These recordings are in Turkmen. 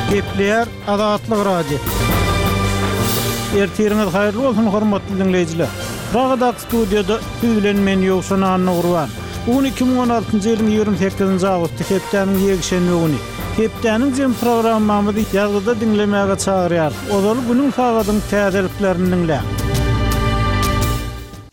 Gepleýär Azatlyk Radiosy. Ertiriňiz haýyrly bolsun, hormatly diňleýjiler! Pragadaky studiýada siz bilen men Ýowşan Annagurban. Bu gün 2016-njy ýylyň 28-nji awgusty, hepdäniň ýekşenbe güni. Hepdäniň jemi programmamyzy ýazgyda diňlemäge çagyrýarys. Ozaly günüň sagadyň täzeliklerini diňläň.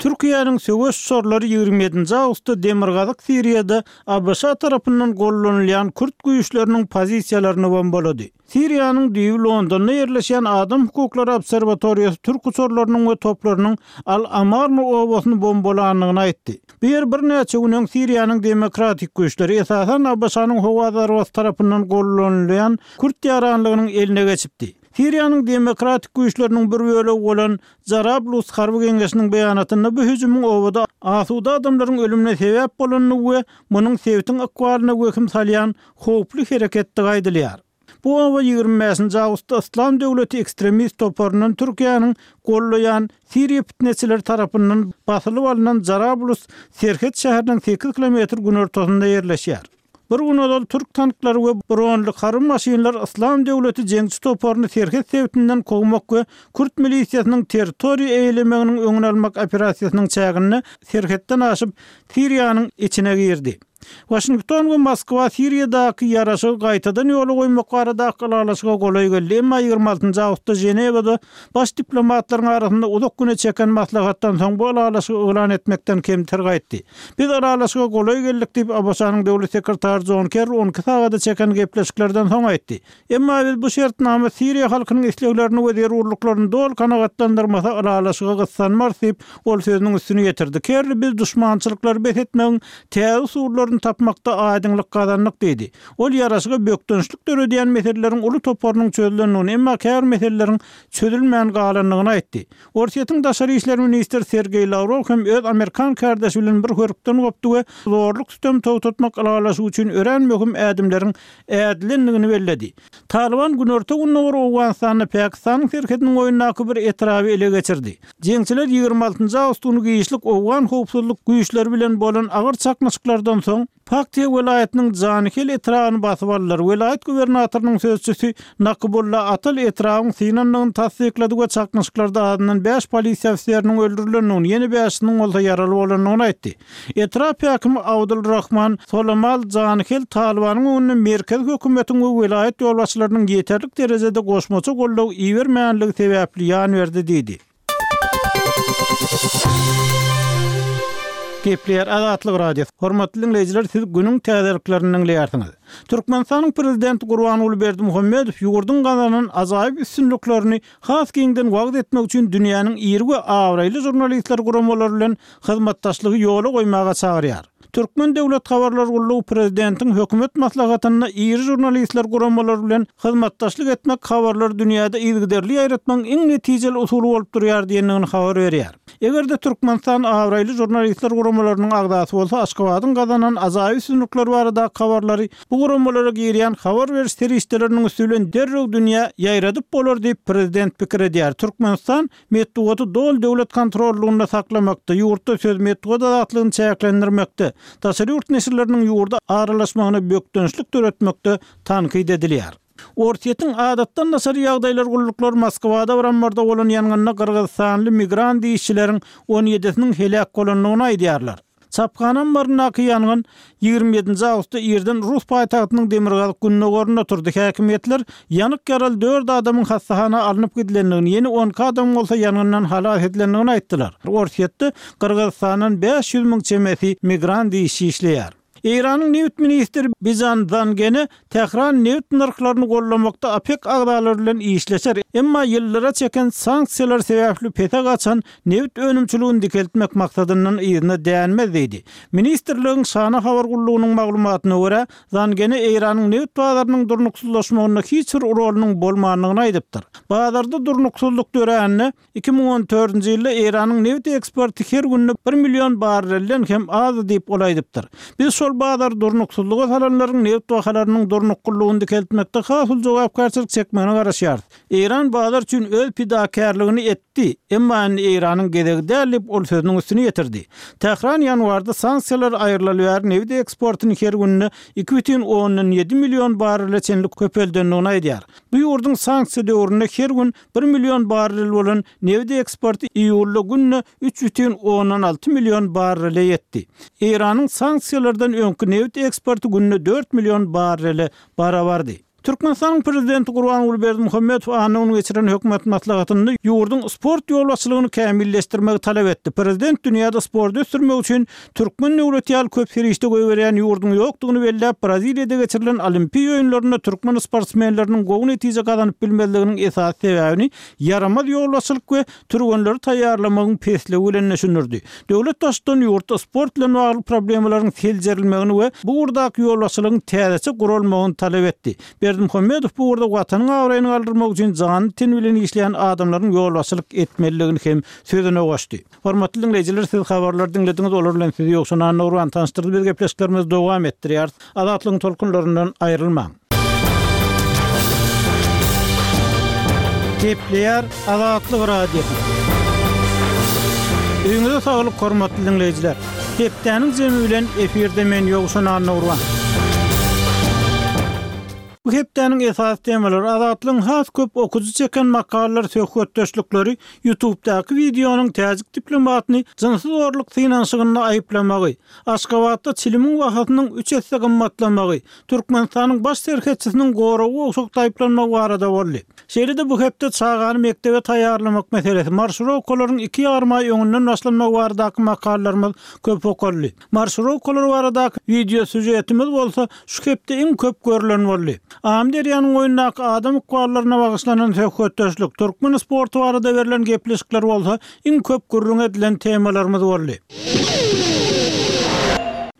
Türkiýäniň söweş uçarlary 27-nji awgustda demirgazyk Siriýada ABŞ tarapyndan gollanylýan kürt güýçleriniň pozisiýalaryny bombalady. Siriýanyň düýbi Londonda ýerleşýän Adam hukuklary obserwatoriýasy türk uçarlarynyň we toplarynyň Al-Amarna obasyny bombalandygyny aýtdy. Bu ýer birnäçe gün öň Siriýanyň demokratik güýçleri, esasan ABŞ-nyň howa zarbasy tarapyndan gollanylýan kürt ýaranlygynyň eline geçipdi. Siriýanyň demokratik güýçleriniň bir bölegi bolan Jarablus harby geňeşiniň beýanatynda bu hüjümiň obada asuda adamlaryň ölümine sebäp bolandygy we munuň sebitiň ykbalyna wehim salýan howply hereketdigi aýdylýar. Bu oba 25-nji awgustda Yslam döwleti ekstremist toparyndan Türkiýäniň gollaýan siriýa pitneçileri tarapyndan basylyp alnan Jarablus serhet şäheriniň sekiz kilometr günortasynda ýerleşýär. Bir gün ozal türk tanklary we bronly harby maşynlar Yslam döwleti jeňçi toparyny serhet sebitinden kowmak we kürt milisiýasynyň territoriýa eýelemeginiň öňüni almak operasiýasynyň çäginde serhetden aşyp Siriýanyň içine girdi. Waşington we Moskwa Siriýadaky ýaraşygy gaýtadan ýola goýmak baradaky ylalaşyga golaý geldi, emma 26 awgustda Ženewada baş diplomatlaryň arasynda uzak güne çeken maslahatdan soň bu ylalaşygy yglan etmekden kemter gaýtdy. Biz ylalaşyga golaý geldik diýip, ABŞ-nyň döwlet sekretary Jon Kerri on iki sagada çeken gepleşiklerden soň aýtdy. Emma biz bu şertnama siriýa halkynyň isleglerini we zerurlyklaryny doly kanagatlandyrmasa ylalaşyga gyssanmarys diýip, ol sözüniň üstüni ýetirdi. Kerri biz duşmançylyklary bes etmegiň täze usullaryny tapmakda aýdyňlyk gazandyk diýdi. Ol ýaraşyga bökdençlik döredýän meseleleriň uly toparynyň çözülendigini, emma käbir meseleleriň çözülmän galandygyny aýtdy. Orsýetiň daşary işler ministri Sergeý Lawrow hem öz amerikan kärdeşi bilen bir hörpden gopdy we zorluk-sütemi togtatmak ylalaşygy üçin örän möhüm ädimleriň ädilendigini belledi. Talyban günorta-gündogar Owganystanda Pakistanyň serhediniň boýundaky bir etraby ele geçirdi. Jeňçiler 26 awgust güni giçlik owgan howpsuzlyk güýçleri bilen bolan agyr çaknyşyklardan soň, Paktiýa welaýatynyň Janihel etrabyny basyp aldylar. Welaýat gubernatorynyň sözçüsi Nakybulla Atal etrabyň synandygyny tassyklady we çaknyşyklarda azyndan bäş polisiýa ofiseriniň öldürilendigini, ýene bäşisiniň bolsa ýaraly bolandygyny aýtdy. Etrap häkimi Abdul Rahman Solamal Janihel Talybanyň öňünde merkezi hökümetiň we welaýat ýolbaşçylarynyň ýeterlik derejede goşmaça goldaw ibermänligi sebäpli ýan berdi diýdi. Gepleýär Azatlyk Radiosy. Hormatly diňleýjiler, siz günüň täzeliklerini diňleýärsiňiz. Türkmenistanyň Prezidenti Gurbanguly Berdimuhamedow ýurduň gazanan ajaýyp üstünliklerini has giňden wagyz etmek üçin dünýäniň iri we abraýly žurnalistler guramalary bilen hyzmatdaşlygy ýola goýmaga çagyrýar. Türkmen döwlet habarlar gullugy prezidentiň hökümet maslahatynda iri žurnalistler guramalary bilen hyzmatdaşlyk etmek habarlary dünýäde yzygiderli ýaýratmagyň iň netijeli usuly bolup durýar diýendigini habar berýär. Eger-de Türkmenistan abraýly žurnalistler guramalarynyň agzasy bolsa Aşgabadyň gazanan ajaýyp üstünlikleri baradaky habarlary bu guramalara girýän habar beriş serişdeleriniň üsti bilen derrew dünýä ýaýradyp bolar diýip prezident pikir edýär. Türkmenistan Metbugaty doly döwlet kontrollygynda saklamakda, ýurtda söz metbugat azatlygyny çäklendirmekde, daşary ýurt neşirleriniň ýurda aralaşmagyna bökdençlik döretmekde tankyt edilýär. Orsýetiň adatdan daşary ýagdaýlar gulluklary Moskwada bir ammarda bolan ýangynda gyrgyzystanly migrant işçileriň on ýedisiniň heläk bolandygyny aýdýarlar. Çaphana ammaryndaky ýangyn 27-nji awgustda irden rus paýtagtynyň demirgazyk-gündogarynda turdy. Häkimiýetler ýanyk ýaraly dört adamyň hassahana alnyp gidilendigini, ýene 12 adamyň bolsa ýangyndan halas edilendigini aýtdylar. Orsýetde Gyrgyzystandan 500 müň çemesi migrant işçi işleýär. Eýranyň nebit ministri Bijan Zangene Tähran nebit nyrhlaryny gollamakda OPEK agzalary bilen işleşer, emma ýyllara çeken sanksiýalar sebäpli pese gaçan nebit önümçiligini dikeltmek maksadyndan yzyna dänmez diýdi. Ministrligiň Şana habar gullugynyň maglumatyna görä, Zangene Eýranyň nebit bazarynyň durnuksyzlaşmagynda hiç bir rolunyň bolmandygyny aýdypdyr. Bazarda durnuksyzlyk dörände, 2014-nji ýylda Eýranyň nebit eksporty her günde bir million barrelden hem azdy diýip, ol aýdypdyr. Biz şol. Ol bazary durnuksyzlyga salanlaryň nebit bahalarynyň durnuklylygyny dikeltmekde has uly jogapkärçilik çekmegine garaşýarys. Eýran bazar üçin öz pidakärligini etdi, emma indi Eýranyň gezegi däl diýip, ol sözüniň üstüni ýetirdi. Tähran ýanwarda sanksiýalar aýrylaly bäri nebit eksportyny her günde 2,7 million barrele çenli köpeldendigini aýdýar. Bu ýurduň sanksiýa döwründe her gün bir million barrel bolan nebit eksporty iýulda günde 3,6 million barrele ýetdi. Eýranyň sanksiýalardan öňki nebit eksporty günde dört million barrele barabardy. Türkmenistanyň Prezidenti Gurbanguly Berdimuhamedow anna güni geçiren hökümet maslahatynda ýurduň sport ýolbaşçylygyny kämilleşdirmegi talap etdi. Prezident dünýäde sporty ösdürmek üçin türkmen döwleti ýaly köp serişde goýberýän ýurduň ýokdugyny belläp, Braziliýada geçirilen Olimpiýa oýunlarynda türkmen sportsmenleriniň gowy netije gazanyp bilmezliginiň esasy sebäbini ýaramaz ýolbaşçylyk we türgenleri taýýarlamagyň pesligi bilen düşündirdi. Döwlet Baştutany ýurtda sport bilen bagly problemalaryň seljerilmegini we bu ugurdaky ýolbaşçylygyň täzeçe guralmagyny talap etdi. Berdimuhamedow bu ugurda Watanyň abraýyny galdyrmak üçin jany-teni bilen işleýän adamlaryň ýolbaşçylyk etmelidigini hem sözüne goşdy. Hormatly diňleýjiler, siz habarlary diňlediňiz, olar bilen sizi Ýowşan Annagurban tanyşdyrdy. Biz gepleşiklerimizi dowam etdirýäris. Azatlygyň tolkunlaryndan aýrylmaň. Gepleýär Azatlyk Radiosy. Öýüňize saglyk hormatly diňleýjiler. Hepdäniň jemi bilen efirde men Ýowşan Annagurban. Bu hepdäniň esasy temalary Azatlygyň has köp okyjy çeken makalalar söhbetdeşlikleri YouTubedaky wideonyň täjik diplomatyny jynsy zorluk synanyşygynda aýyplamagy, Aşgabatda çilimiň bahasynyň üç esse gymmatlamagy, Türkmenistanyň baş serhetçisiniň goragy gowşak aýyplanmagy barada boldy. Şeýle-de bu hepde çagany mekdebe taýýarlamak meselesi, marşirowkalaryň iki ýarym aý öňünden başlanmagy baradaky makalalarymyz köp okaldy. Marşirowkalar baradaky wideo sýužetimiz bolsa şu hepde iň köp görlen boldy. Amyderýanyň boýundaky adam ykballaryna bagyşlanan söhbetdeşlik, türkmen sporty barada berlen gepleşikler bolsa iň köp gürrüň edilen temalarymyz boldy.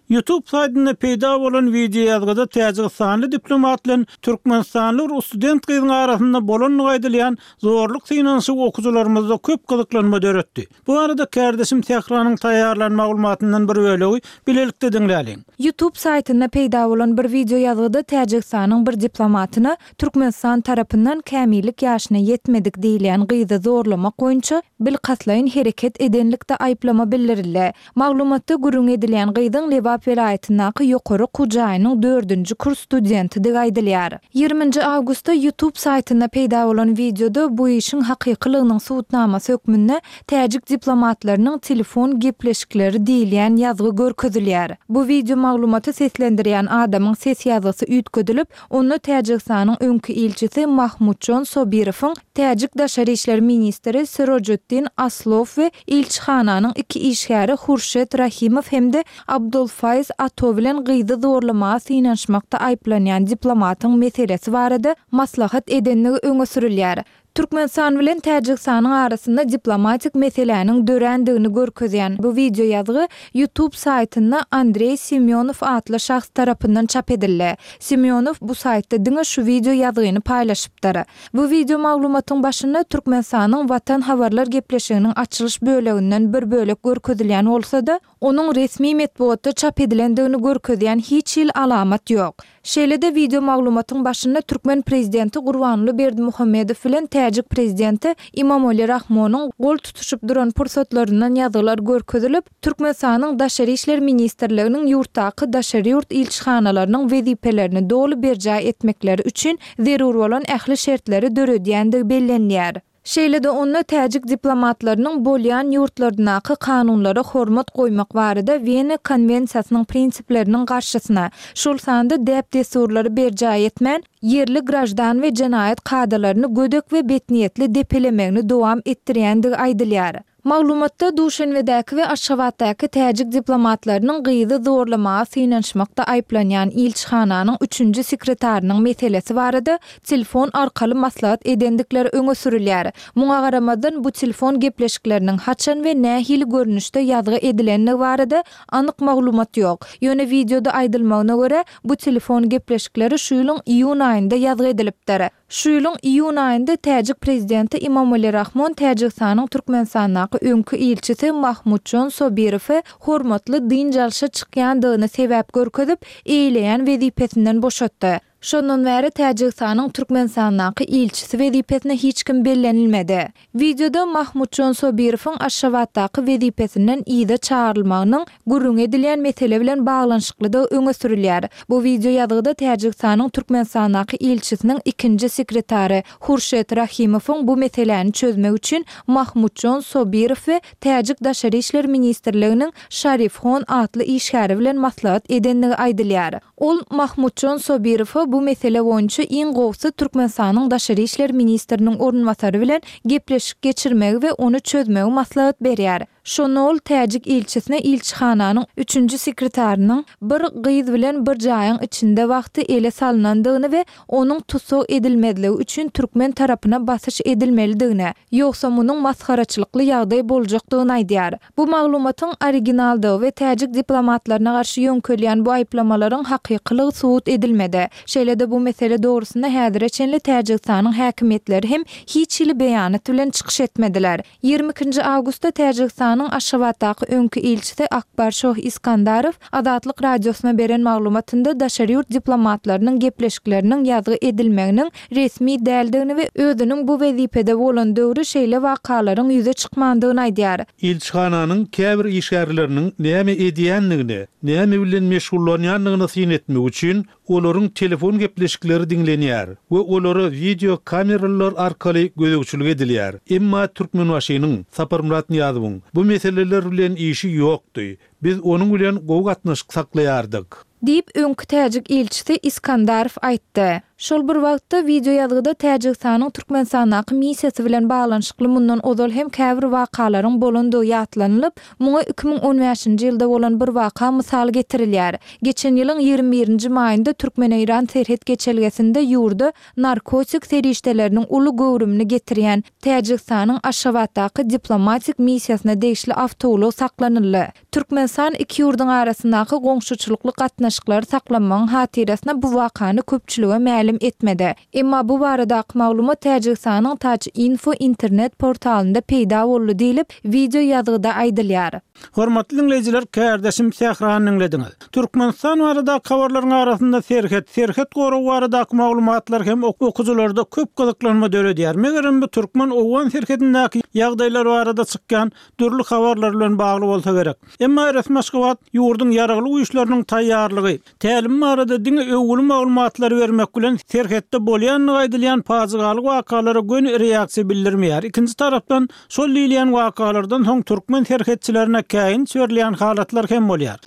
Youtube saýtynda peýda bolan wideoýazgyda täjigistanly diplomat bilen türkmenistanly bir student gyzyň arasynda bolandygy aýdylýan zorluk synanyşygy okyjylarymyzda köp gyzyklanma döretdi. Bu barada kärdeşim Sähranyň taýýarlan maglumatyndan bir bölegi bilelikde diňläliň. Youtube saýtynda peýda bolan bir wideoýazgyda Täjigistanyň bir diplomatyna Türkmenistan tarapyndan kämillik ýaşyna ýetmedik diýilýän gyzy zorlamak boýunça bilkastlaýyn hereket edenlikde aýyplama bildirildi. Maglumatda gürrüňi edilýän gyzyň Lebap welaýatyndaky ýokary okuw jaýynyň dördünji kurs studentidigi aýdylýar. Ýigriminji awgustda YouTube saýtynda peýda bolan wideoda bu işiň hakykylygynyň subutnamasy hökmünde täjik diplomatlarynyň telefon gepleşikleri diýilýän ýazgy görkezilýär. Bu wideo maglumaty seslendirýän adamyň ses ýazgysy üýtgedilip, Onda Täjigistanyň öňki ilçisi Mahmutjon Sobirowyň täjik daşary işler ministri Sirojiddin Aslow we ilçihananyň iki işgäri Hurşet Rahimow hem-de Abdulfaýz Ato bilen gyzy zorlamaga synanyşmakda aýyplanýan diplomatyň meselesi barada maslahat edendigi öňe sürülýär. Türkmenistan bilen Täjigistanyň arasynda diplomatik meseläniň dörändigini görkezýän bu wideoýazgy YouTube saýtynda Andreý Semýonow atly şahs tarapyndan çap edildi. Semýonow bu saýtda diňe şu wideoýazgyny paýlaşypdyr. Bu wideo maglumatyň başynda Türkmenistanyň Watan habarlar gepleşiginiň açylyş böleginden bir bölek görkezilýän bolsa-da, onuň resmi metbugatda çap edilendigini görkezýän hiç hili alamat ýok. Şeýle-de wideo maglumatyň başynda türkmen prezidenti Gurbanguly Berdimuhamedow bilen täjik prezidenti Imomali Rahmonyň gol tutuşyp duran pursatlaryndan ýazgylar görkezilip, Türkmenistanyň Daşary işler ministrliginiň ýurtdaky daşary ýurt ilçihanalarynyň wezipelerini doly berjaý etmekleri üçin zerur bolan ähli şertleri döredýändigi bellenilýär. Şeýle-de onda täjik diplomatlarynyň bolýan ýurtlaryndaky kanunlara hormat goýmak barada Wena konwensiýasynyň prinsipleriniň garşysyna, şol sanda däp-dessurlary berjaý etmän, ýerli graždan we jenaýat kadalaryny gödek we betniýetli depelemegini dowam etdirýändigi aýdylýar. Maglumatda Duşenbedäki we Aşgabatdaky täjik diplomatlarynyň gyzy zorlamaga synanyşmakda aýyplanýan ilçihananyň üçünji sekretarynyň meselesi barada telefon arkaly maslahat edendikleri öňe sürülýär. Muňa garamazdan, bu telefon gepleşikleriniň haçan we nähili görnüşde ýazgy edilendigi barada anyk maglumat ýok. Ýöne wideoda aýdylmagyna görä, bu telefon gepleşikleri şu ýylyň iýun aýynda ýazgy edilipdir. Şu ýylyň iýun aýynda täjik prezidenti Imomali Rahmon Täjigistanyň Türkmenistandaky öňki ilçisi Mahmudjon Sobirowy hormatly dynç alşa çykýandygyny sebäp görkezip, eýeleýän wezipesinden boşatdy. Şondan bäri Täjigistanyň Türkmenistandaky ilçisi wezipesine hiç kim bellenilmedi. Wideoda Mahmutjon Sobirowyň Aşgabatdaky wezipesinden yza çagyrylmagynyň gürrüňi edilýän mesele bilen baglanyşyklydygy öňe sürülýär. Bu wideoýazgyda Täjigistanyň Türkmenistandaky ilçisiniň ikinji sekretary Hurşet Rahimowyň bu meseläni çözmek üçin Mahmutjon Sobirow we Täjik Daşary işler ministrliginiň Şarifhon atly işgäri bilen maslahat edendigi aýdylýar. Ol Mahmutjon Sobirowa bu mesele boýunça iň gowusy Türkmenistanyň daşary işler ministriniň orunbasary bilen gepleşik geçirmegi we ony çözmegi maslahat berýär. Şonda ol täjik ilçisine ilçihananyň üçünji sekretarynyň bir gyz bilen bir jaýyň içinde wagty ele salnandygyny we onuň tussag edilmezligi üçin türkmen tarapyna basyş edilmelidigini, ýogsa munuň masgaraçylykly ýagdaý boljakdygyny aýdýar. Bu maglumatyň originaldygy we täjik diplomatlaryna garşy ýöňkelýän bu aýyplamalaryň hakykylygy subut edilmedi. Şeýle-de bu mesele dogrusynda häzire çenli Täjigistanyň häkimiýetleri hem hiç hili beýanat bilen çykyş etmediler. Ýigrimi ikinji awgustda Täjigistanyň Aşgabatdaky öňki ilçisi Akbarşoh Iskandarow Azatlyk Radiosyna beren maglumatynda daşary ýurt diplomatlarynyň gepleşikleriniň ýazgy edilmeginiň resmi däldigini we özüniň bu wezipede bolan döwri şeýle wakalaryň ýüze çykmandygyny aýdýar. Ilçihananyň käbir işgärleriniň näme edýändigine, näme bilen meşgullanýandygyna syn etmek üçin olaryň telefon gepleşikleri diňlenýär we olara wideo kameralar arkaly gözegçilik edilýär. Emma Türkmenbaşynyň, Saparmyrat Nyýazowyň, bu meseleler bilen işi ýokdy. Biz onuň bilen gowy gatnaşyk saklaýardyk. Diýip, öňki täjik ilçisi Iskandarow aýtdy. Şol bir wagtda, wideoýazgyda Täjigistanyň Türkmenistandaky missiýasy bilen baglanyşykly mundan ozal hem käbir wakalaryň bolandygy ýatlanylyp, muňa 2015-nji ýylda bolan bir waka mysal getirilýär. Geçen ýylyň 21-nji maýynda türkmen-eýran serhet geçelgesinde ýurda narkotik serişdeleriniň uly göwrümini getirýän Täjigistanyň Aşgabatdaky diplomatik missiýasyna degişli awtoulag saklanyldy. Türkmenistan iki ýurduň arasyndaky goňşuçylykly gatnaşyklary saklanmagyň hatyrasyna bu wakany köpçülige mälim etmedi. Emma bu baradaky maglumat Täjigistanyň Taj-Info internet portalynda peýda boldy diýlip, wideo ýazgyda aýdylýar. Hormatly diňleýjiler, kärdeşim Sährany diňlediňiz. Türkmenistan baradaky habarlaryň arasynda serhet, serhet goragy baradaky maglumatlar hem okyjylarda köp gyzyklanma döredýär. Megerem bu türkmen-owgan serhedindäki ýagdaýlar barada çykýan dürli habarlar bilen bagly bolsa gerek. Emma resmi Aşgabat ýurduň Ýaragly Güýçleriniň taýýarlygy, tälimi barada diňe öwgüli maglumatlary bermek bilen, serhetde bolýandygy aýdylýan pajygaly wakalara göni reaksiýa bildirmeýär. Ikinji tarapdan, şol diýilýän wakalardan soň türkmen serhetçilerine käýinç berilýän halatlar hem bolýar.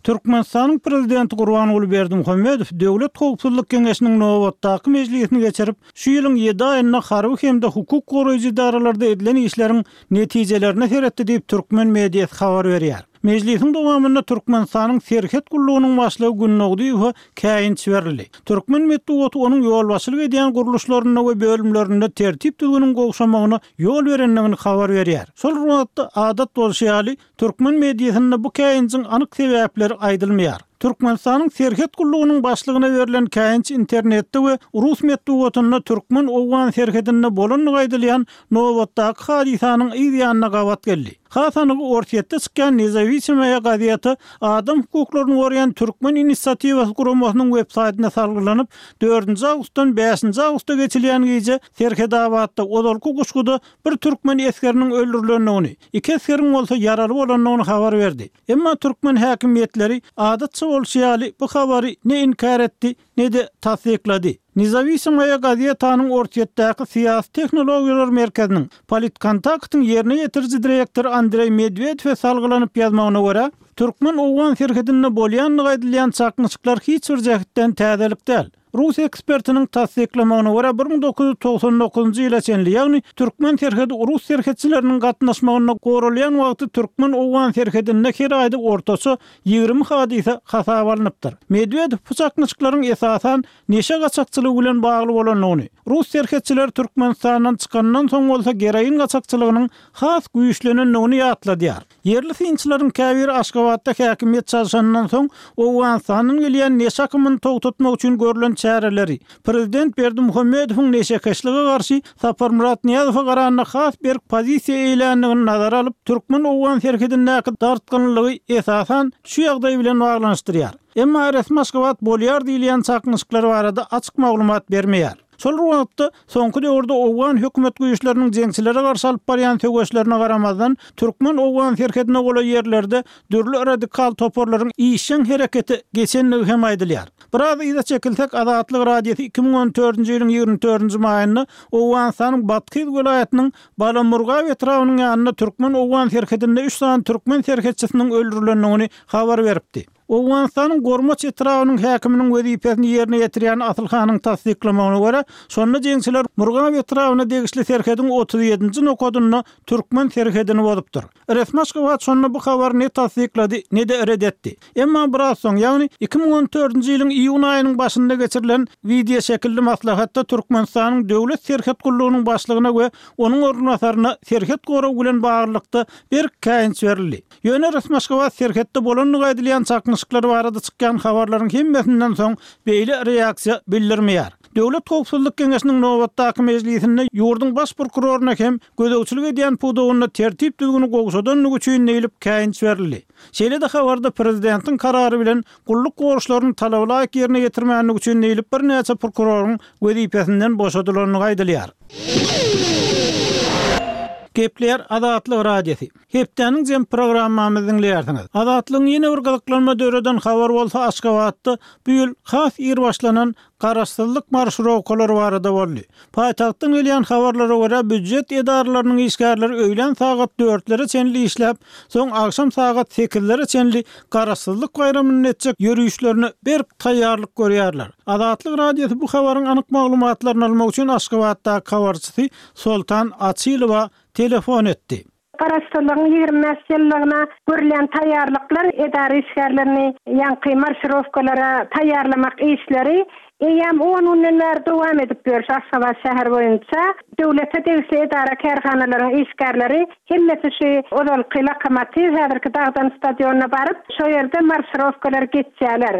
Türkmenistanyň Prezidenti Gurbanguly Berdimuhamedow Döwlet howpsuzlyk geňeşiniň nobatdaky mejlisini geçirip, Şu ýylyň ýedi aýynda harby hem-de hukuk goraýjy edaralarda edilen işleriň netijelerine seretdi diýip, türkmen mediasy habar berýär. Mejlisiň dowamynda Türkmenistanyň Serhet gullugynyň başlygy Gündogdyýewe käýinç berildi. Türkmen metbugaty onuň ýolbaşçylyk edýän gurluşlarynda we bölümlerinde tertip-düzgüniň gowşamagyna ýol berendigini habar berýär. Şol bir wagtda, adat bolşy ýaly, Türkmen mediasynda bu käýinjiň anyk sebäpleri aýdylmaýar. Türkmenistanyň Serhet gullugynyň başlygyna berlen käýinç internetde we rus metbugatynda türkmen-owgan serhedinde bolandygy aýdylýan nobatdaky hadysanyň yz ýanyna gabat geldi. Has anygy Orsýetde çykýan Nezawisimoýa gazeti adam hukuklaryny goraýan Türkmen inisiatiwasy guramasynyň websaýtyna salgylanyp, dördünji awgustdan bäşinji awgusta geçilýän gije Serhedabatda, ozalky Guşguda bir türkmen esgeriniň öldürilendigini, iki esgeriň bolsa ýaraly bolandygyny habar berdi. Emma türkmen häkimiýetleri, adatça bolşy ýaly, bu habary ne inkär etdi, ne-de tassyklady. Nezawisimoýa gazetanyň Orsýetdäki syýasy tehnologiýalar merkeziniň, Politkontaktyň ýerine ýetiriji direktory Andreý Medwedewe salgylanyp ýazmagyna görä, türkmen-owgan serhedinde bolýandygy aýdylýan çaknyşyklar hiç bir jähtden täzelik däl. Rus ekspertiniň tassyklamagyna görä, 1999-njy ýyla çenli, ýagny türkmen serhedi rus serhetçileriniň gatnaşmagynda goralýan wagty türkmen-owgan serhedinde her aýda ortaça 20 hadysa hasaba alnypdyr. Medwedew bu çaknyşyklaryň esasan neşe gaçakçylygy bilen bagly bolandygyny, rus serhetçileri Türkmenistandan çykandan soň bolsa geroin gaçakçylygynyň has güýçlenendigini ýatladýar. Ýerli synçylaryň käbiri Aşgabatda häkimiýet çalşanyndan soň, Owganystandan gelýän neşe akymyny togtatmak üçin görlen. çäreleri, prezident Berdimuhamedowyň neşekeşlige garşy Saparmyrat Nyýazowa garanda has berk pozisiýa eýländigini nazara alyp, türkmen-owgan serhedindäki dartgynlygy esasan şu ýagdaý bilen baglanyşdyrýar. Emma resmi Aşgabat bolýar diýilýän çaknyşyklar barada açyk maglumat bermeýär. Şol bir wagtda, soňky döwürde owgan hökümet güýçleriniň jeňçilere garşy alyp barýan söweşlerine garamazdan, türkmen-owgan serhedine golaý ýerlerde dürli radikal toparlaryň işjeň herekete geçendigi hem aýdylýar. Biraz yza çekilsek, Azatlyk Radiosy 2014-nji ýylyň 24-nji maýynda Owganystanyň Bathyz welaýatynyň Balamurgap etrabynyň ýanynda türkmen-owgan serhedinde üç sany türkmen serhetçisiniň öldürilendigini habar beripdi. Owganystanyň Gormaç etrabynyň häkiminiň wezipesini ýerine ýetirýän Asyl hanyň tassyklamagyna görä, şonda jeňçiler Murgap etrabyna degişli serhediň 37-nji nokadynda türkmen serhedini bozupdyr. Resmi Aşgabat şonda bu habary ne tassyklady, ne-de ret etdi. Emma biraz soň, ýagny 2014-nji ýylyň iýun aýynyň başynda geçirilen wideoşekilli maslahatda Türkmenistanyň Döwlet serhet gullugynyň başlygyna we onuň orunbasaryna serhet goragy bilen baglylykda berk käýinç berildi. Ýöne resmi Aşgabat serhetde bolandygy aýdylýan çaknyşyklar barada çykýan habarlaryň hemmesinden soň beýle reaksiýa bildirmeýär. Döwlet howpsuzlyk geňeşiniň nobatdaky mejlisinde ýurduň baş prokuroryna hem gözegçilik edýän pudagynda tertip-düzgüni gowşadandygy üçin diýlip käýinç berildi. Şeýle-de habarda prezidentiň karary bilen gulluk borçlaryny talabalaýyk ýerine ýetirmändigi üçin diýlip birnäçe prokuroryň wezipesinden boşadylandygy aýdylýar. Gepleýär Azatlyk Radiosy. Hepdäniň jem programmamyzy diňleýärsiňiz. Azatlygyň ýene bir gyzyklanma döreden habary bolsa Aşgabatda bu ýyl has ir başlanan Garaşsyzlyk marşirowkalary barada boldy. Paýtagtdan gelýän habarlara görä, býujet edaralarynyň işgärleri öýlän sagat dörtlere çenli işläp, soň agşam sagat sekizlere çenli Garaşsyzlyk baýramynda etjek ýörişlerine berk taýýarlyk görýärler. Azatlyk Radiosy bu habaryň anyk maglumatlaryny almak üçin Aşgabatdaky habarçysy Soltan Açylowa telefon etdi. Garaşsyzlygyň 25 ýyllygyna görülýän taýýarlyklar, edara işgärlerini ýaňky marşirowkalara taýýarlamak işleri eýýäm on günden bäri dowam edip ýör şu Aşgabat şäheri boýunça. Döwlete degişli edara-kärhanalaryň işgärleri hemmesi şu ozalky Lokomotiw, häzirki Dagdan stadionyna baryp, şo ýerde marşirowkalary geçýärler.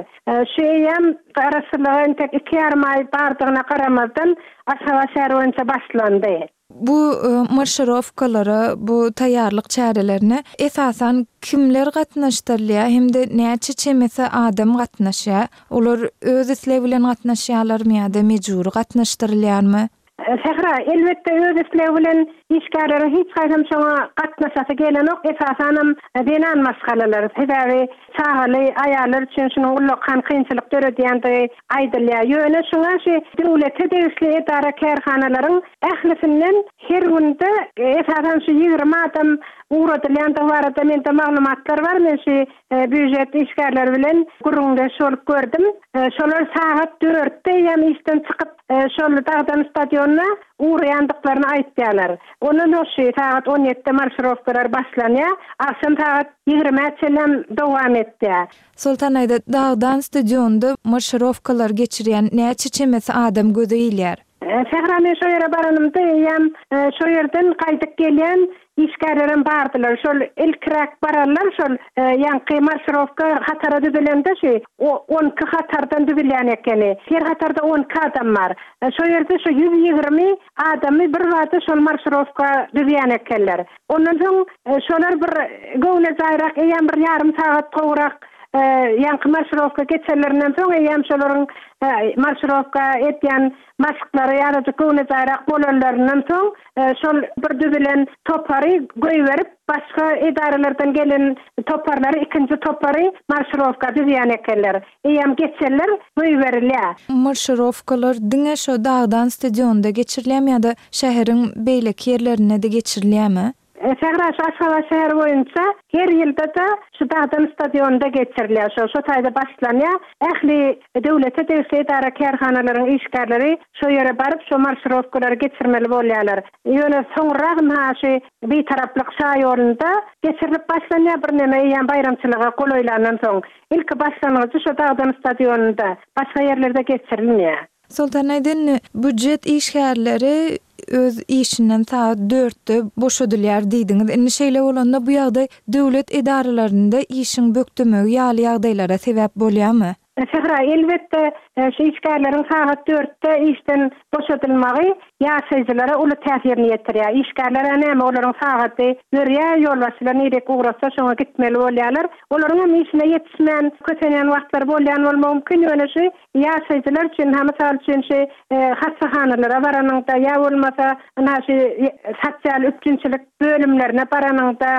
Şu eýýäm Garaşsyzlyga entek iki ýarym aý bardygyna garamazdan, Aşgabat şäheri boýunça başlandy. Bu marşirowkalara, bu taýýarlyk çärelerine esasan kimler gatnaşdyrylýar hem-de näçe çemesi adam gatnaşýar? Olar öz islegi bilen gatnaşýarlarmy ýa-da mejbury gatnaşdyrylýarmy? Sähra, Elbetde öz islegi bilen işgärleriň hiç haýsam şoňa gatnaşasy gelenok, esasanam zenan maşgalalar. Sebäbi çagaly aýallar üçin şunuň ullakan kynçylyk döredýändigi aýdylýar. Ýöne şuňa şu döwlete degişli edara-kärhanalaryň ählisinden her günde esasan şu 20 adam ugradylýandygy barada mende maglumatlar bar. Men şu býujet işgärleri bilen gürrüňdeş bolup gördüm. Şolar sagat dörtde eýýäm işden çykyp, şol Dagdan stadionyna ugraýandyklaryny aýtýarlar. Ondan soň şu sagat on ýedide marşirowkalar başlanýar. Agşam sagat ýigrimä çenlem dowam etýär. Soltan aýda, Dagdan stadionda marşirowkalar geçirýän näçe çemesi adam göze ilýär? Sähra men şo ýere baranymda eýýäm şo ýerden gaýdyp gelýän işgärlerem bardylar. Şol ilkiräk baranlar şol ýaňky marşirowka hatara düzülende şu 12 hatardan düzülýän ekeni. Her hatarda 12 adam bar. Şo ýerde şu 120 adamy bir bada şol marşirowka düzýän ekenler. Ondan soň şolar bir göwnejaýrak eýýäm bir ýarym sagat gowrak ýaňky marşirowka geçenlerinden soň eýýäm şolaryň marşirowka edýän maşklary azajyk göwnejaýrak bolanlaryndan soň şol bir düzülen topary goýberip başga edaralardan gelen toparlary ikinji topary marşirowka düzýän ekenler. Eýýäm geçenler goýberilýär. Marşirowkalar diňe şo Dagdan stadionda geçirilýärmi ýa-da şäheriň beýleki ýerlerinde-de geçirilýärmi? Sähra şu Aşgabat şäheri boýunça her ýylda-da şu Dagdan stadionynda geçirilýär. Şo şo taýda başlanýar. Ähli döwlete degişli edara-kärhanalaryň işgärleri şo ýere baryp şo marşirowkalary geçirmeli bolýarlar. Ýöne soňrak ynha şu Bitaraplyk şaýolunda geçirilip başlanýar birneme eýýäm baýramçylyga golaýlandan soň. Ilki başlangyjy şo Dagdan stadionynda, başga ýerlerde geçirilmeýär. Soltan Aýdyn, býujet işgärleri öz işinden sagat dörtde boşadylýar diýdiňiz. Indi şeýle bolanda bu ýagdaý döwlet edaralarynda işiň bökdemegi ýaly ýagdaýlara sebäp bolýarmy? Sähra, elbetde, şu işgärleriň sagat dörtde işden boşadylmagy ýaşaýjylara uly täsirini ýetirýär. Işgärler-ä näme, olaryň sagady ýörýär, ýolbaşçylar nirek ugratsa şoňa gitmeli bolýarlar. Olaryň hem işine ýetişmän kösenýän wagtlary bolýan bolmagy mümkin, ýöne şu ýaşaýjylar üçin, ha mysal üçin şu hassahanalara baranyňda ýa bolmasa ynha şu sosial üpjünçilik bölümlerine baranyňda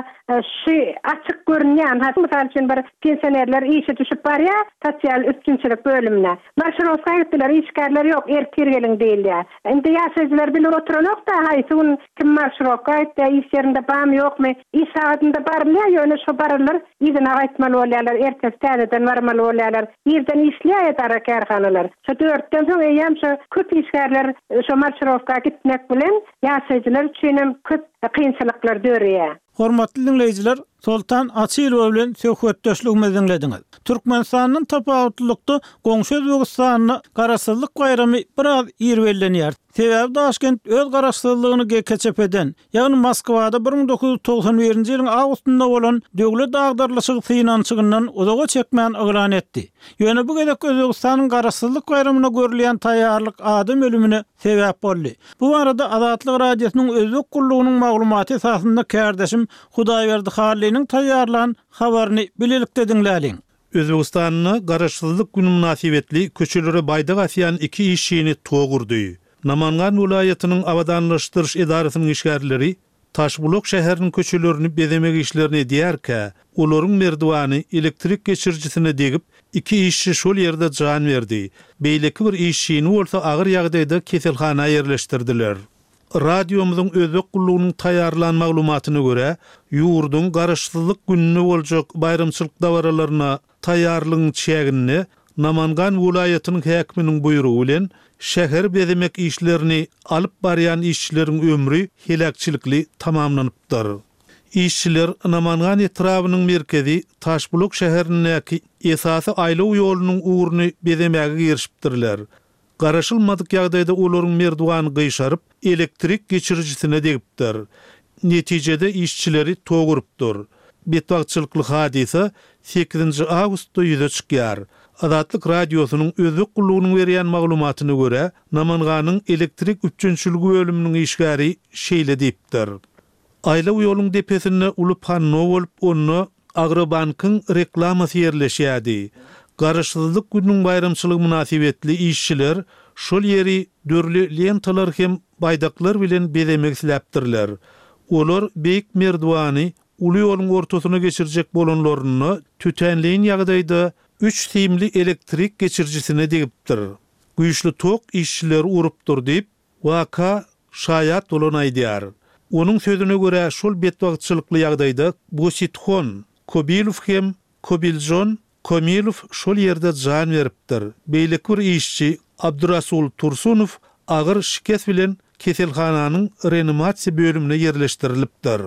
şu açyk görünýän, ha mysal üçin bir pensionerler işe düşüp barýar sosial üpjünçilik bölümine. Marşirowka gitdiler, işgärler ýok, ertir geliň diýilýär. Indi ýaşaýjylar bilip oturanok-da, haýsy gün kim marşirowka gitýär, iş ýerinde barmy, ýokmy. Iş sagadynda barylýar, ýöne şo baranlar yzyna gaýtmaly bolýarlar, ertesi täzeden barmaly bolýarlar. Irden işleýär edara-kärhanalar. Şo dörtden soň eýýäm şo köp işgärler şo marşirowka gitmek bilen ýaşaýjylar üçinem köp kynçylyklar döreýär. Hormatly diňleýjiler, Soltan Açylowa bilen söhbetdeşligimizi diňlediňiz. Türkmenistandan tapawutlylykda goňşy Özbegistanda Garaşsyzlyk baýramy biraz ir bellenýär. Sebäbi Daşkent öz garaşsyzlygyny GKÇP-den, ýagny Moskwada 1991-nji ýylyň awgustynda bolan döwlet agdarylyşygy synanyşygyndan uzaga çekmän yglan etdi. Ýöne bu gezek Özbegistanyň Garaşsyzlyk baýramyna görülýän taýýarlyk adam ölümine sebäp boldy. Bu barada Azatlyk Radiosynyň Özbek gullugynyň maglumaty esasynda kärdeşim Hudaýberdi Hallynyň taýýarlan habaryny bilelikde diňläliň. Özbegistanda Garaşsyzlyk güni mynasybetli köçelere baýdak asýan iki işçini tok urdy. Namangan welaýatynyň abadanlaşdyryş edarasynyň işgärleri Taşbulak şäheriniň köçelerini bezemek işlerini edýärkä, olaryň merdiwany elektrik geçirijisine degip, iki işçi şol ýerde jan berdi. Beýleki bir işçini bolsa agyr ýagdaýda keselhana ýerleşdirdiler. Radiomyzyň Özbek gullugynyň taýýarlan maglumatyna görä, ýurduň Garaşsyzlyk gününde boljak baýramçylyk dabaralaryna taýýarlygyň çäginde Namangan welaýatynyň häkiminiň buýrugy bilen şäheri bezemek işlerini alyp barýan işçileriň ömri heläkçilikli tamamlanypdyr. Işçiler Namangan etrabynyň merkezi Taşbulak şäherindäki esasy aýlaw ýolunyň ugruny bezemäge girişipdirler. Garaşylmadyk ýagdaýda olaryň merdiwany gyşaryp, elektrik geçirijisine degipdir. Netijede işçileri tok urupdyr. Betbagtçylykly hadysa sekizinji awgustda ýüze çykýar. Azatlyk Radiosynyň Özbek gullugynyň berýän maglumatyna görä, Namanganyň elektrik üpjünçiligi bölüminiň işgäri şeýle diýipdir. Aýlaw ýoluň depesinde uly panno bolup, onda Agrobankyň reklamasy ýerleşýärdi. Garaşsyzlyk gününiň baýramçylygy mynasybetli işçiler şol ýeri dürli lentalar hem baýdaklar bilen bezemek isläpdirler. Olar beýik merdiwany uly ýoluň ortasyna geçirjek bolanlarynda tötänleýin ýagdaýda üç simli elektrik geçirijisine degipdir. Güýçli tok işçileri urupdyr diýip, Waka şaýat bolan aýdýar. Onuň sözüne görä, şol betbagtçylykly ýagdaýda Bosithon Kobilow hem Kobiljon Komilow şol ýerde jan beripdir. Beýleki bir işçi Abdurasul Tursunow agyr şikes bilen keselhananyň reanimasiýa bölümine ýerleşdirilipdir.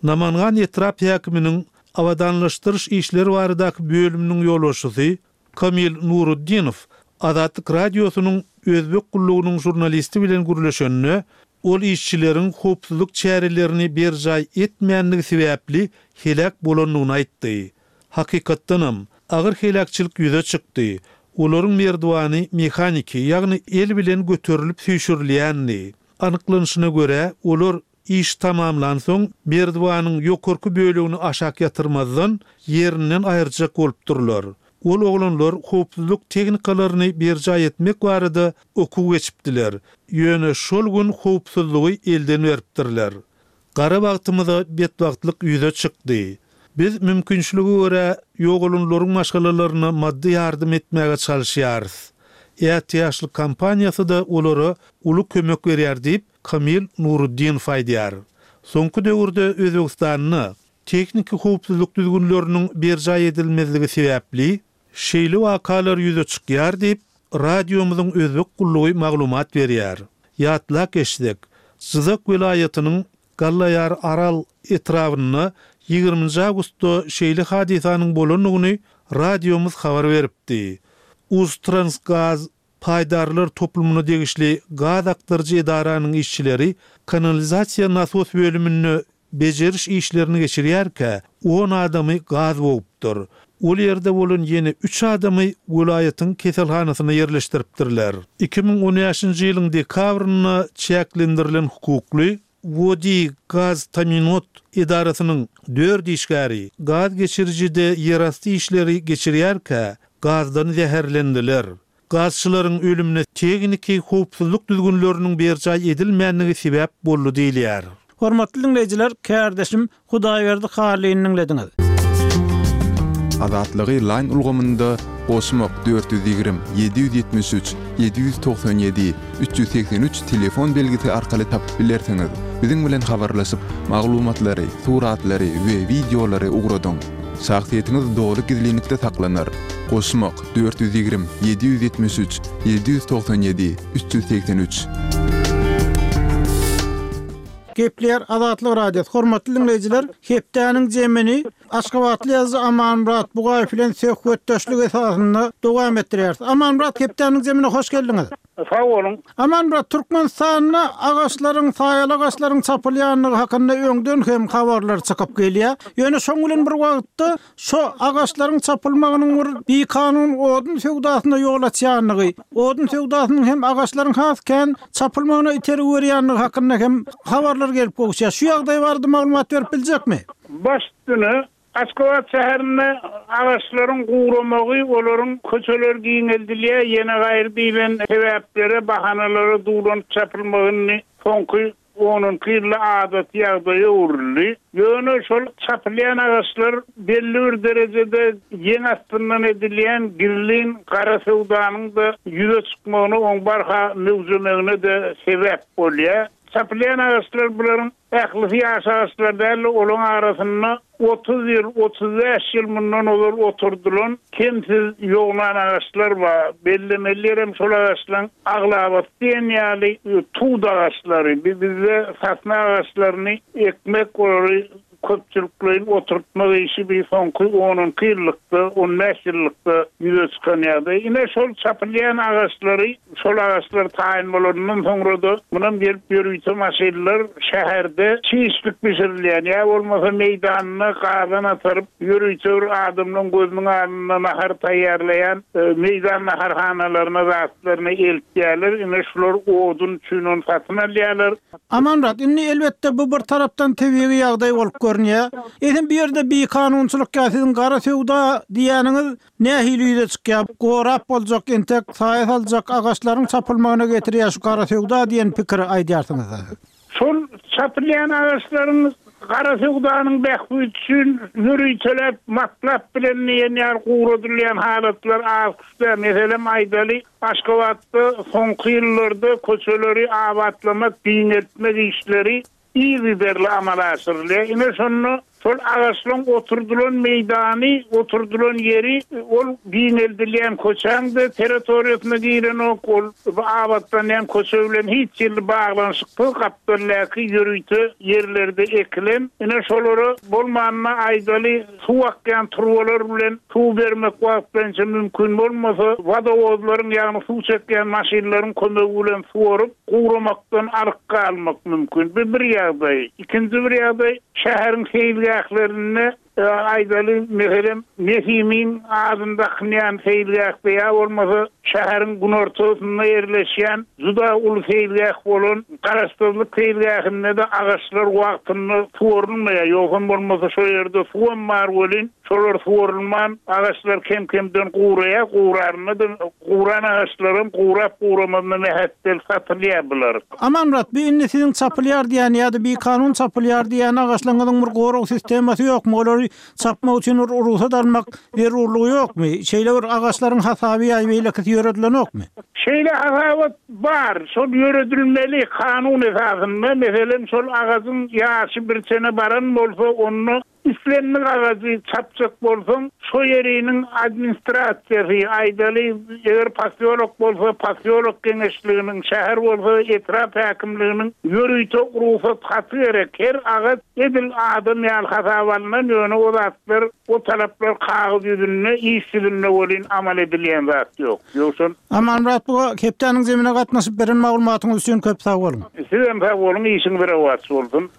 Namangan etrap häkiminiň abadanlaşdyryş işleri baradaky bölüminiň ýolbaşçysy Kamil Nuruddinow Azatlyk Radiosynyň Özbek gullugynyň žurnalisti bilen gürleşende, ol işçileriň howpsuzlyk çärelerini berjaý etmänligi sebäpli heläk bolandygyny aýtdy. Hakykatdanam, agyr heläkçilik ýüze çykdy. Olaryň merdiwany mehaniki, ýagny el bilen göterilip süýşürilýändi. Anyklanyşyna görä, olar Iş tamamlansoň, merdiwanyň ýokarky bölegini aşak ýatyrmazdan, ýerinden aýyrjak bolupdyrlar. Ol oglanlar howpsuzlyk tehnikalaryny berjaý etmek barada okuw geçipdiler. Ýöne şol gün howpsuzlygy elden beripdirler. Gara bagtymyza betbagtlyk ýüze çykdy. Biz mümkinçilige görä ýogalanlaryň maşgalalaryna maddy ýardam etmäge çalyşýarys. Ätiýaçlyk kompaniýasy-da olara uly kömek berýär diýip, Kamil Nuruddinow aýdýar. Soňky döwürde Özbegistanda tehniki howpsuzlyk düzgünleriniň berjaý edilmezligi sebäpli, şeýle wakalar ýüze çykýar diýip, radiomyzyň özbek gullugy maglumat berýär. Ýatlap geçsek, Jyzak welaýatynyň Gallaýar Aral etrabynda ýigriminji awgustda şeýle hadysanyň bolandygyny radiomyz habar beripdi. Uztransgaz Paýdarlar toplumyna degişli gaz akdyryjy edaranyň işçileri kanalizasiýa nasos bölüminde bejeriş işlerini geçirýärkä, on adamy gaz bogupdyr. Ol ýerde bolan ýene üç adamy welaýatyň keselhanasyna ýerleşdiripdirler. 2015-nji ýylyň dekabrynda çäklendirilen hukukly Wodi gaz taminot edarasynyň dört işgäri gaz geçirijide ýerasty işleri geçirýärkä gazdan zäherlendiler. Gazçylaryň ölümine tehniki howpsuzlyk düzgünleriniň berjaý edilmändigi sebäp boldy diýilýär. Hormatly diňleýjiler, kärdeşim Hudaýberdi Hallyny diňlediňiz. Azatlygy Line ulgamynda goşmak 420 773 797 383 telefon belgisi arkaly tapyp bilersiňiz. Biziň bilen habarlaşyp, maglumatlary, suratlary we wideolary ugradyň. Şahsyýetiňiz doly gizlinlikde saklanar. Goşmak 420 773 797 383. Gepleýär Azatlyk Radiosy. Hormatly diňleýjiler, hepdäniň jemini aşgabatly ýazyjy Amanmyrat Bugaýew bilen söhbetdeşlik esasynda dowam etdirýäris. Amanmyrat, hepdäniň jemine hoş geldiňiz. Sag boluň. Amanmyrat, Türkmenistanda agaçlaryň, saýaly agaçlaryň çapylýandygy hakynda öňden hem habarlar çykyp gelýär. Ýöne şoň bilen bir wagtda Şo agaçlaryň çapylmagynyň bir bikanun odun söwdasyna ýol açýandygy, odun söwdasynyň hem agaçlaryň has kän çapylmagyna itergi berýändigi hakynda hem habarlar gelip gowuşýar. Şu ýagdaý barada maglumat berip biljekmi? Baş üstüne, Aşgabat şäherinde agaçlaryň guramagy, olaryň köçeler giňeldilýär, ýene gaýry diýlen sebäplere, bahanalara duwlanyp çapylmagy indi soňky Onunky ýylda adaty ýagdaýa öwrüldi. Ýöne şol çapylýan agaçlar belli bir derejede ýeň astyndan edilýän gizlin gara söwdanyň-da ýüze çykmagyna, oň barha möwjemegine-de sebäp bolýar. Çapylýan agaçlar bularyň ählisi ýaş agaçlar däl-de, olaryň arasynda 30 ýyl, 35 ýyl mundan ozal oturdylan kemsiz ýognan agaçlar bar. Bellemeli ýerem şol agaçlaryň aglabasy diýen ýaly tut agaçlary. Bizde sosna agaçlaryny ekmek, olary köpçülikleýin oturtmak işi bir soňky on-onki ýyllykda, on bäş ýyllykda ýüze çykan ýagdaý. Ine, şol çapylýan agaçlary Şol agaçlar taýyn bolanyndan soňra-da, munam gelip ýörite maşynlar şäherde çişlik bişirilýän, ýa bolmasa meýdanda gazan ataryp, ýörite bir adamlaryň gözüniň alnynda nahar taýýarlaýan meýdan naharhanalaryna zatlaryny eltýärler. Ine, şular odun üçin ony satyn alýarlar. Amanmyrat, indi elbetde bu bir tarapdan tebigy ýagdaý bolup görünýär. Eýsem bu ýerde bikanunçylyk ýa siziň gara söwda diýýäniňiz Nähili ýüze çykýar, gorap boljak entek saýa saljak agaçlaryň çapylmagyna getirýär şu gara söwda diýen pikiri aýdýarsyňyzda siz. Şol çapylýan agaçlaryň gara söwdanyň bähbidi üçin ýöriteläp matlap bilen diýen ýaly guradylýan halatlar az däl. Meselem aýdaly, Aşgabatda soňky ýyllarda köçeleri abatlamak, giňeltmek işleri yzygiderli amala aşyrylýar. Ine, şonda şol agaçlaryň oturdylan meýdany, oturdylan ýeri ol giňeldilýän köçäň-de territoriýasyna girenok, ol abatlanýan köçe bilen hiç hili baglanyşyksyz gapdaldaky ýörite ýerlerde ekilen. Ine, şolara bolmanda aýdaly, Suw akýan turbalar bilen suw bermek wagtlaýynça mümkin bolmasa, wodowozlaryň, ýagny suw çekýän maşynlaryň kömegi bilen suwaryp, guramakdan alyk galmak mümkin. Bu bir ýagdaý. Ikinji bir ýagdaý, şäheriň seýilgählerinde, aýdaly, meselem, Nesimiň adyny dakynýan seýilgähde ýa bolmasa şäheriň günortasynda ýerleşýän juda uly seýilgäh bolan Garaşsyzlyk seýilgähinde-de agaçlar wagtynda suwarylmaýar. Ýogsam bolmasa şo ýerde suwam bar welin, şolar suwarylman, agaçlar kem-kemden guraýar. Gurarynda-da, guran agaçlaram gurap-guramazyna mähetdel satylýar bular. Amanmyrat, bu indi siziň çapylýar diýýän ýa-da bikanun çapylýar diýýän agaçlaryňyzyň bir gorag sistemasy ýokmy? Olary Çapmak üçin bir rugsat almak zerurlygy ýokmy? Şeýle bir agaçlaryň hasaby ýa beýlekisi ýöredilenokmy? Şeýle hasabat bar. Şol ýöredilmeli kanun esasynda, meselem, şol agajyň ýaşy bir çene baran bolsa, onda islendik agajy çapjak bolsaň, şo ýeriniň administrasiýasy, aýdaly, eger posýolok bolsa, posýolok geňeşliginiň, şäher bolsa, etrap häkimliginiň ýörite rugsat haty gerek. Her agaç Edil adam ýaly hasaba alnan, ýöne o zatlar, o talaplar kagyz ýüzünde, iş ýüzünde welin amal edilýän zat ýok. Ýowşan. Amanmyrat buga hepdäniň zemine gatnaşyp beren maglumatyňyz üçin köp sag boluň. Sizem sag boluň, işiňiz rowaç bolsun.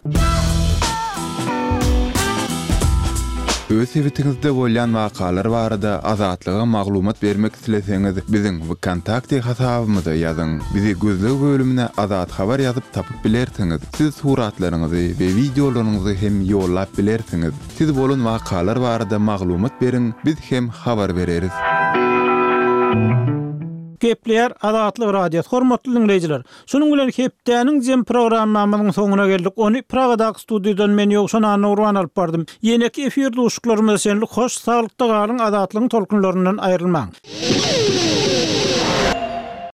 Öz sebitiňizde bolýan wakalar barada Azatlyga maglumat bermek isleseňiz, biziň Wkontakte hasabymyza ýazyň. Bizi gözleg bölümine Azat Habar ýazyp tapyp bilersiňiz. Siz suratlaryňyzy we wideolaryňyzy hem ýollap bilersiňiz. Siz bolan wakalar barada maglumat beriň, biz hem habar bereris. Gepleýär Azatlyk Radiosy Hormatly diňleýjiler! Şunuň bilen hepdäniň jem programmamyzyň soňuna geldik. Ony Pragadaky studiýadan men Ýowşan Annagurban alyp bardym. Ýeneki efir duşuşyklarymyza çenli hoş saglykda galyň Azatlygyň tolkunlaryndan aýrylmaň.